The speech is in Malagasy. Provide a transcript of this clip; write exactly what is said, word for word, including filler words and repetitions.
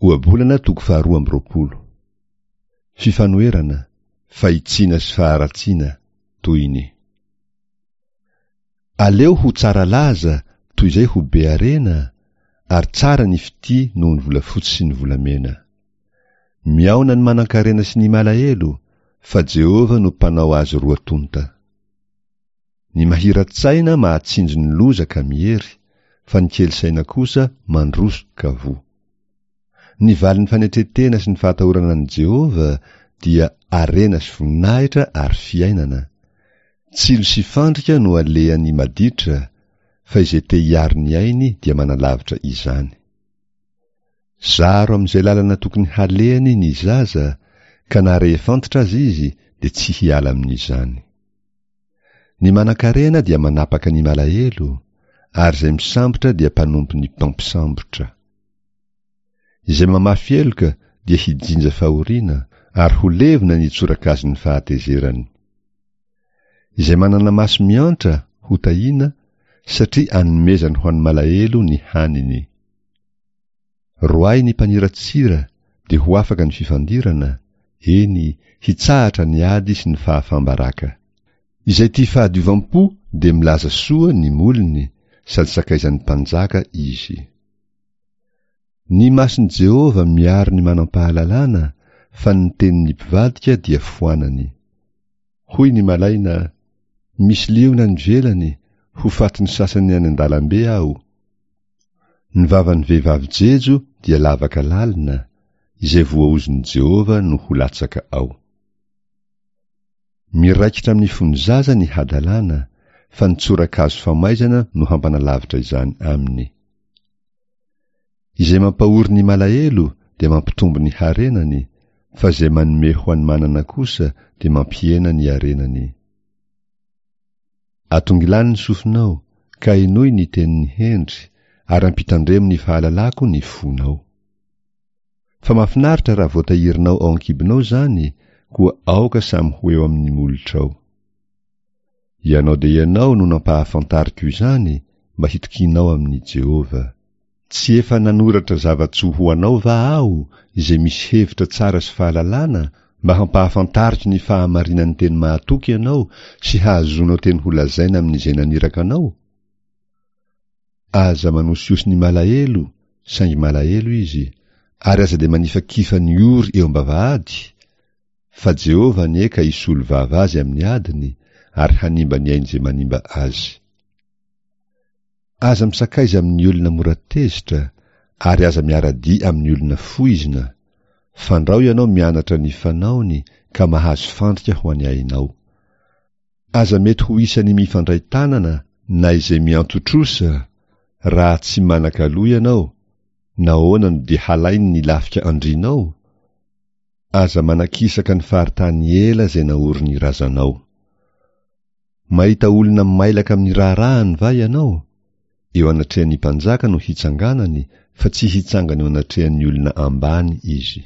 Ohabolana toko faharoa amby roapolo. Fifanoherana, fahitsiana sy faharatsiana, tohiny. Aleo ho tsara laza toy izay ho be harena, ary tsara ny fitia noho ny volafotsy sy ny volamena. Mihaona ny manankarena sy ny malahelo, fa Jehovah no mpanao azy roa tonta. Ny mahira-tsaina mahatsinjo ny loza ka miery, fa ny kely saina kosa mandroso ka voa. Ny valin'ny fanetren-tena sy ny fahatahorana an'i Jehovah dia harena sy voninahitra ary fiainana. Tsilo sy fandrika no alehan'ny maditra, fa izay te hiaro ny ainy dia manalavitra izany. Zaro amin'izay lalana tokony halehany ny zaza, ka na rehefa antitra aza izy dia tsy hiala amin'izany. Ny manankarena dia manapaka ny malahelo, ary izay misambotra dia mpanompon'ny mpampisambotra. Izay mamafy heloka dia hijinja fahoriana, ary ho levona ny tsorakazon'ny fahatezerany. Izay manana maso miantra ho tahiana, satria anomezany ho an'ny malahelo ny haniny. Roahy ny mpaniratsira dia ho afaka ny fifandirana, eny, hitsahatra ny ady sy ny fahafam-baraka. Izay tia fahadiovam-po dia milaza soa ny molony, sady sakaizan'ny mpanjaka izy. Ny mason'i Jehovah miaro ny manam-pahalalana, fa ny tenin'ny mpivadika dia foanany. Hoy ny malaina, Misy liona any ivelany, ho fatin'ny sasany any an-dalambe aho. Ny vavan'ny vehivavy jejo dia lavaka lalina, izay voaozon'i Jehovah no ho latsaka ao. Miraikitra amin'ny fon'ny zaza ny hadalana, fa ny tsorakazo famaizana no hampanalavitra izany aminy. Izay mampahory ny malahelo dia mampitombo ny harenany, fa izay manome ho an'ny manana kosa dia mampihena ny harenany. Atongilano ny sofinao, ka henoy ny tenin'ny hendry, ary ampitandremo ny fahalalako ny fonao. Fa mahafinaritra raha voatahirinao ao an-kibonao izany, koa aoka samy ho eo amin'ny molotrao. Ianao dia ianao no nampahafantariko izany, mba hitokianao amin'i Jehovah. Tsy efa nanoratra zava-tsoa ho anao va aho, izay misy hevitra tsara sy fahalalana, mba hampahafantariko ny fahamarinan'ny teny mahatoky ianao sy hahazoanao teny holazaina amin'izay naniraka anao? Aza manosihosy ny malahelo, saingy malahelo izy, ary aza dia manifakifa ny ory eo am-bavahady, fa Jehovah anie ka hisolo vava azy amin'ny adiny, ary hanimba ny ain'izay manimba azy. Aza misakaiza amin'ny olona mora tezitra, ary aza miara-dia amin'ny olona foizina, fandrao ianao mianatra ny fanaony ka mahazo fandrika ho an'ny ainao. Aza mety ho isan'ny mifandray tanana na izay mianto-trosa, raha tsy manan-kaloha ianao, nahoana no dia halainy ny lafika andrianao? Aza manakisaka ny faritany ela izay naorin'ny razanao. Mahita olona mailaka amin'ny raharahany va ianao? Eo anatrehan'ny mpanjaka no hitsanganany, fa tsy hitsangana eo anatrehan'ny olona ambany izy.